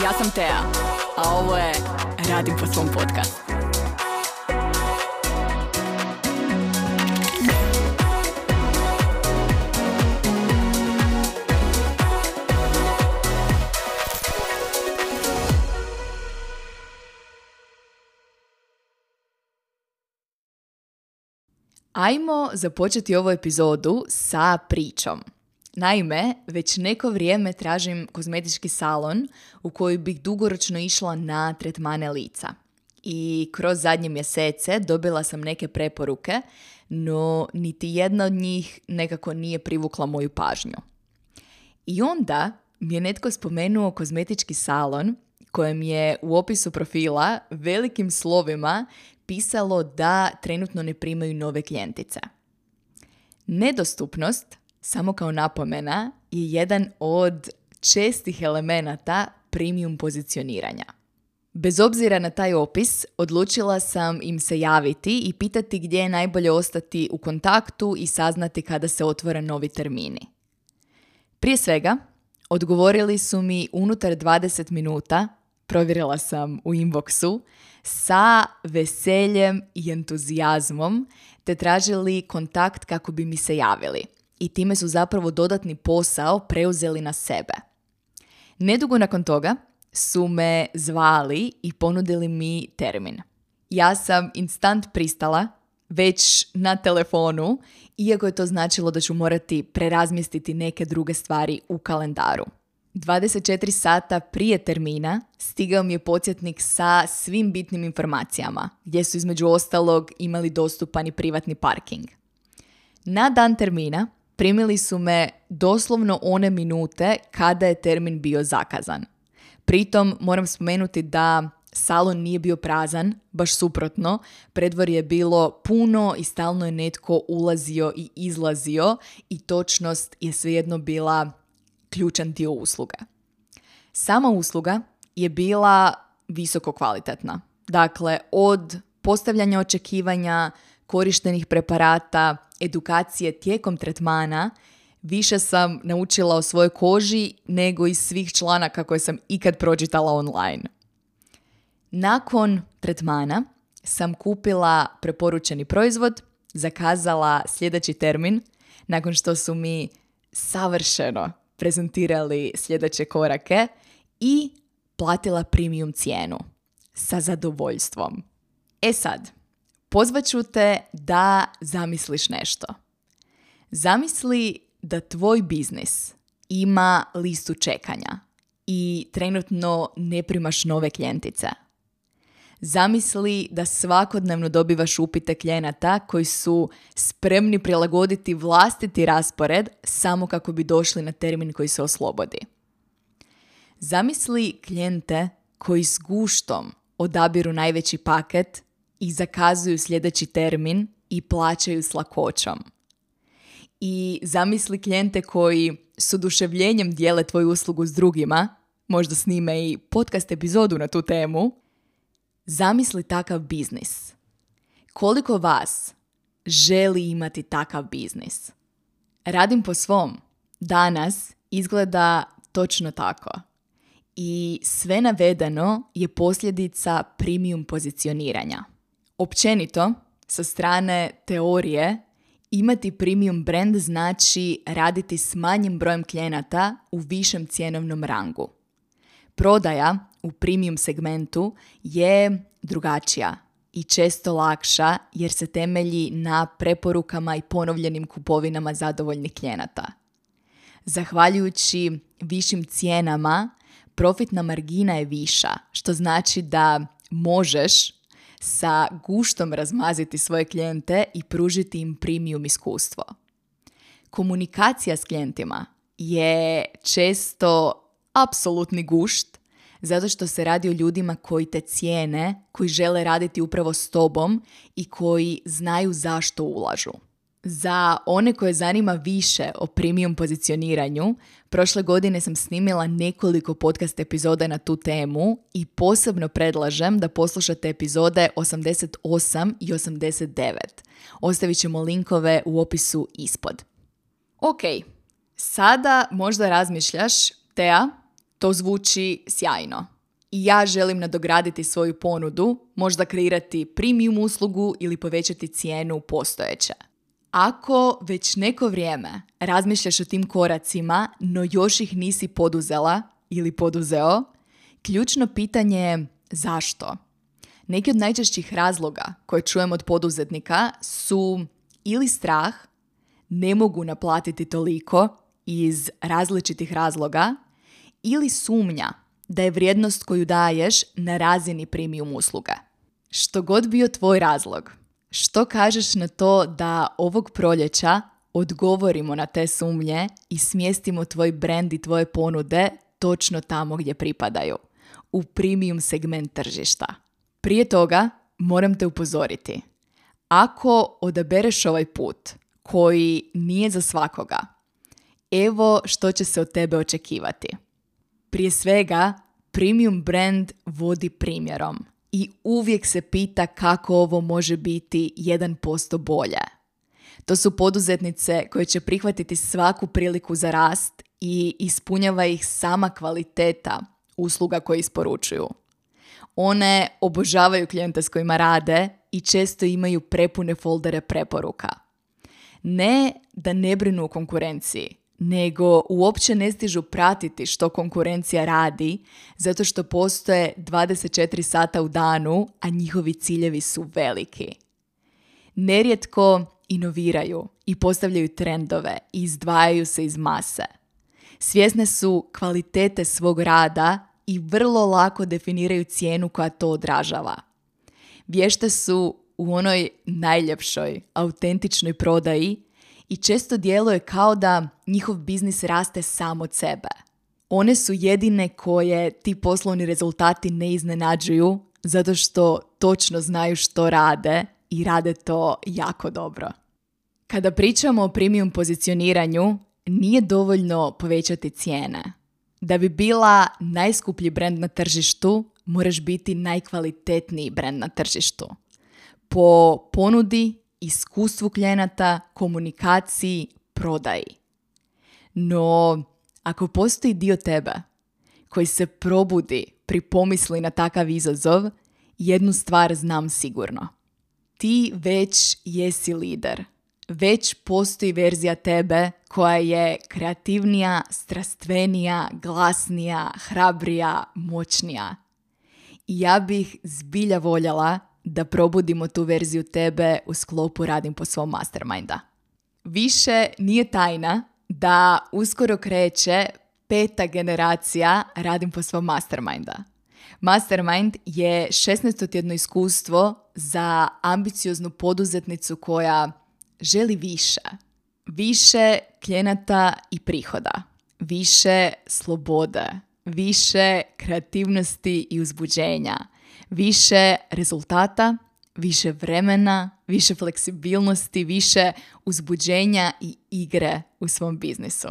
Ja sam Tea, a ovo je Radim po svom podcastu. Ajmo započeti ovu epizodu sa pričom. Naime, već neko vrijeme tražim kozmetički salon u koji bih dugoročno išla na tretmane lica. I kroz zadnje mjesece dobila sam neke preporuke, no niti jedna od njih nekako nije privukla moju pažnju. I onda mi je netko spomenuo kozmetički salon kojem je u opisu profila velikim slovima pisalo da trenutno ne primaju nove klijentice. Nedostupnost, samo kao napomena, je jedan od čestih elemenata premium pozicioniranja. Bez obzira na taj opis, odlučila sam im se javiti i pitati gdje je najbolje ostati u kontaktu i saznati kada se otvore novi termini. Prije svega, odgovorili su mi unutar 20 minuta, provjerila sam u inboxu, sa veseljem i entuzijazmom, te tražili kontakt kako bi mi se javili. I time su zapravo dodatni posao preuzeli na sebe. Nedugo nakon toga su me zvali i ponudili mi termin. Ja sam instant pristala, već na telefonu, iako je to značilo da ću morati prerazmjestiti neke druge stvari u kalendaru. 24 sata prije termina stigao mi je podsjetnik sa svim bitnim informacijama, gdje su između ostalog imali dostupan i privatni parking. Na dan termina primili su me doslovno one minute kada je termin bio zakazan. Pritom moram spomenuti da salon nije bio prazan, baš suprotno, predvorje je bilo puno i stalno je netko ulazio i izlazio i točnost je svejedno bila ključan dio usluga. Sama usluga je bila visoko kvalitetna. Dakle, od postavljanja očekivanja, korištenih preparata, edukacije tijekom tretmana, više sam naučila o svojoj koži nego iz svih članaka koje sam ikad pročitala online. Nakon tretmana sam kupila preporučeni proizvod, zakazala sljedeći termin, nakon što su mi savršeno prezentirali sljedeće korake i platila premium cijenu sa zadovoljstvom. E sad, pozvat ću te da zamisliš nešto. Zamisli da tvoj biznis ima listu čekanja i trenutno ne primaš nove klijentice. Zamisli da svakodnevno dobivaš upite klijenata koji su spremni prilagoditi vlastiti raspored samo kako bi došli na termin koji se oslobodi. Zamisli klijente koji s guštom odabiru najveći paket i zakazuju sljedeći termin i plaćaju s lakoćom. I zamisli klijente koji s oduševljenjem dijele tvoju uslugu s drugima, možda snime i podcast epizodu na tu temu. Zamisli takav biznis. Koliko vas želi imati takav biznis? Radim po svom. Danas izgleda točno tako. I sve navedeno je posljedica premium pozicioniranja. Općenito, sa strane teorije, imati premium brand znači raditi s manjim brojem klijenata u višem cjenovnom rangu. Prodaja u premium segmentu je drugačija i često lakša jer se temelji na preporukama i ponovljenim kupovinama zadovoljnih klijenata. Zahvaljujući višim cijenama, profitna margina je viša, što znači da možeš sa guštom razmaziti svoje klijente i pružiti im premium iskustvo. Komunikacija s klijentima je često apsolutni gušt, zato što se radi o ljudima koji te cijene, koji žele raditi upravo s tobom i koji znaju zašto ulažu. Za one koje zanima više o premium pozicioniranju, prošle godine sam snimila nekoliko podcast epizoda na tu temu i posebno predlažem da poslušate epizode 88 i 89. Ostavit ćemo linkove u opisu ispod. Ok, sada možda razmišljaš, Tea, to zvuči sjajno. i ja želim nadograditi svoju ponudu, možda kreirati premium uslugu ili povećati cijenu postojeće. Ako već neko vrijeme razmišljaš o tim koracima, no još ih nisi poduzela ili poduzeo, ključno pitanje je zašto? Neki od najčešćih razloga koje čujem od poduzetnika su ili strah, ne mogu naplatiti toliko iz različitih razloga, ili sumnja da je vrijednost koju daješ na razini premium usluge. Što god bio tvoj razlog, što kažeš na to da ovog proljeća odgovorimo na te sumnje i smjestimo tvoj brand i tvoje ponude točno tamo gdje pripadaju, u premium segment tržišta. Prije toga moram te upozoriti. Ako odabereš ovaj put koji nije za svakoga, evo što će se od tebe očekivati. Prije svega, premium brand vodi primjerom i uvijek se pita kako ovo može biti 1% bolje. To su poduzetnice koje će prihvatiti svaku priliku za rast i ispunjava ih sama kvaliteta usluga koje isporučuju. One obožavaju klijente s kojima rade i često imaju prepune foldere preporuka. Ne da ne brinu o konkurenciji, nego uopće ne stižu pratiti što konkurencija radi, zato što postoje 24 sata u danu, a njihovi ciljevi su veliki. Nerijetko inoviraju i postavljaju trendove i izdvajaju se iz mase. Svjesne su kvalitete svog rada i vrlo lako definiraju cijenu koja to odražava. Vješte su u onoj najljepšoj, autentičnoj prodaji i često djeluje kao da njihov biznis raste sam od sebe. One su jedine koje ti poslovni rezultati ne iznenađuju zato što točno znaju što rade i rade to jako dobro. Kada pričamo o premium pozicioniranju, nije dovoljno povećati cijene. Da bi bila najskuplji brand na tržištu, moraš biti najkvalitetniji brand na tržištu. Po ponudi, iskustvu klijenata, komunikaciji, prodaji. No, ako postoji dio tebe koji se probudi pri pomisli na takav izazov, jednu stvar znam sigurno. Ti već jesi lider. Već postoji verzija tebe koja je kreativnija, strastvenija, glasnija, hrabrija, moćnija. I ja bih zbilja voljela da probudimo tu verziju tebe u sklopu Radim po svom masterminda. Više nije tajna da uskoro kreće 5. generacija Radim po svom masterminda. Mastermind je 16-tjedno iskustvo za ambicioznu poduzetnicu koja želi više. Više klijenata i prihoda. Više slobode. Više kreativnosti i uzbuđenja. Više rezultata, više vremena, više fleksibilnosti, više uzbuđenja i igre u svom biznisu.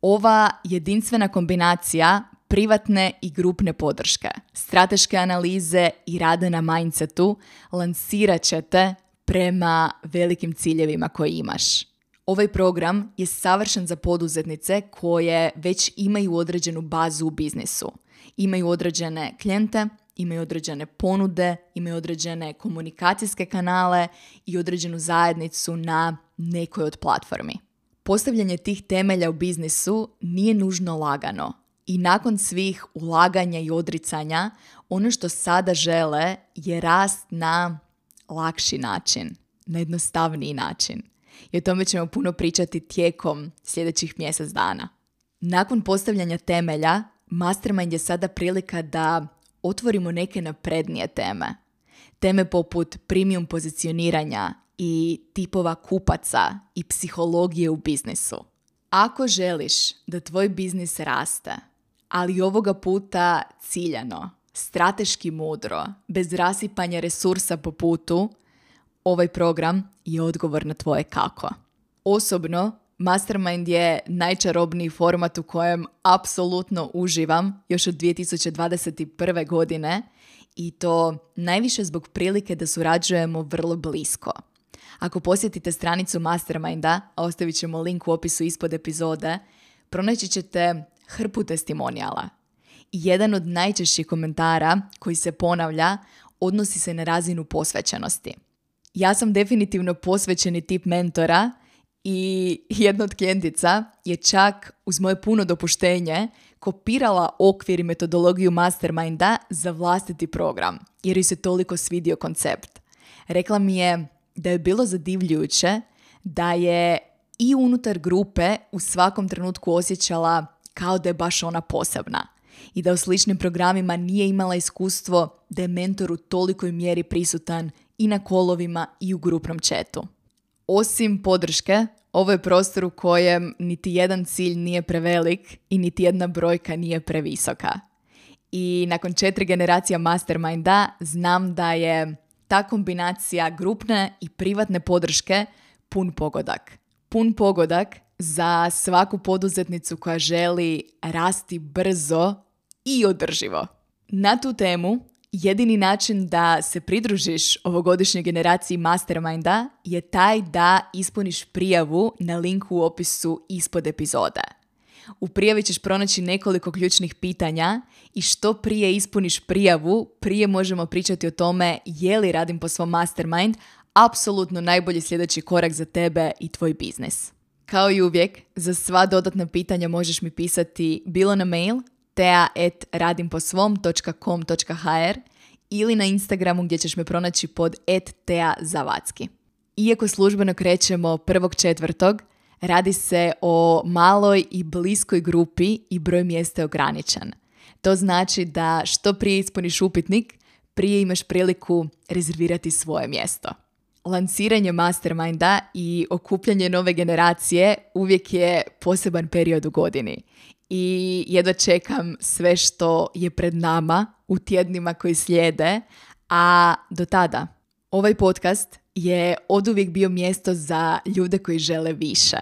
Ova jedinstvena kombinacija privatne i grupne podrške, strateške analize i rada na mindsetu lansirat će te prema velikim ciljevima koje imaš. Ovaj program je savršen za poduzetnice koje već imaju određenu bazu u biznisu. Imaju određene klijente, imaju određene ponude, imaju određene komunikacijske kanale i određenu zajednicu na nekoj od platformi. Postavljanje tih temelja u biznisu nije nužno lagano i nakon svih ulaganja i odricanja, ono što sada žele je rast na lakši način, na jednostavniji način. I o tome ćemo puno pričati tijekom sljedećih mjesec dana. Nakon postavljanja temelja, Mastermind je sada prilika da otvorimo neke naprednije teme. Teme poput premium pozicioniranja i tipova kupaca i psihologije u biznisu. Ako želiš da tvoj biznis raste, ali ovoga puta ciljano, strateški mudro, bez rasipanja resursa po putu, ovaj program je odgovor na tvoje kako. Osobno, Mastermind je najčarobniji format u kojem apsolutno uživam još od 2021. godine i to najviše zbog prilike da surađujemo vrlo blisko. Ako posjetite stranicu Masterminda, a ostavit ćemo link u opisu ispod epizode, pronaći ćete hrpu testimonijala. i jedan od najčešćih komentara koji se ponavlja odnosi se na razinu posvećenosti. Ja sam definitivno posvećeni tip mentora i jedna od klijentica je čak uz moje puno dopuštenje kopirala okvir i metodologiju Masterminda za vlastiti program, jer joj se toliko svidio koncept. Rekla mi je da je bilo zadivljujuće da je i unutar grupe u svakom trenutku osjećala kao da je baš ona posebna i da u sličnim programima nije imala iskustvo da je mentor u tolikoj mjeri prisutan i na kolovima i u grupnom chatu. Osim podrške, ovo je prostor u kojem niti jedan cilj nije prevelik i niti jedna brojka nije previsoka. I nakon 4 generacija Masterminda znam da je ta kombinacija grupne i privatne podrške pun pogodak. Pun pogodak za svaku poduzetnicu koja želi rasti brzo i održivo. Na tu temu, jedini način da se pridružiš ovogodišnjoj generaciji Masterminda je taj da ispuniš prijavu na linku u opisu ispod epizode. U prijavi ćeš pronaći nekoliko ključnih pitanja i što prije ispuniš prijavu, prije možemo pričati o tome je li Radim po svom Mastermind apsolutno najbolji sljedeći korak za tebe i tvoj biznis. Kao i uvijek, za sva dodatna pitanja možeš mi pisati bilo na mail tea@radimposvom.com.hr ili na Instagramu gdje ćeš me pronaći pod @teazavacki. Iako službeno krećemo 1.4., radi se o maloj i bliskoj grupi i broj mjesta je ograničen. To znači da što prije ispuniš upitnik, prije imaš priliku rezervirati svoje mjesto. Lansiranje Masterminda i okupljanje nove generacije uvijek je poseban period u godini. I jedva čekam sve što je pred nama u tjednima koji slijede, a do tada ovaj podcast je oduvijek bio mjesto za ljude koji žele više.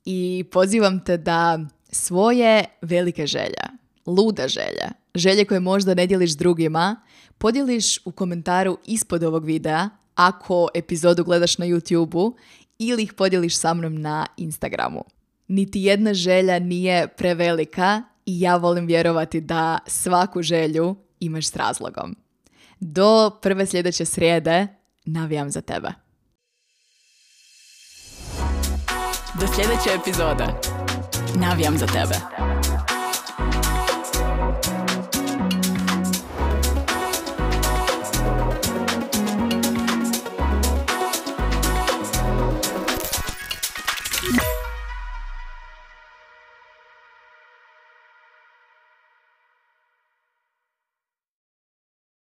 I pozivam te da svoje velike želje, lude želje, želje koje možda ne dijeliš s drugima, podijeliš u komentaru ispod ovog videa ako epizodu gledaš na YouTubeu ili ih podijeliš sa mnom na Instagramu. Niti jedna želja nije prevelika i ja volim vjerovati da svaku želju imaš s razlogom. Do prve sljedeće srijede navijam za tebe. Do sljedeće epizode navijam za tebe.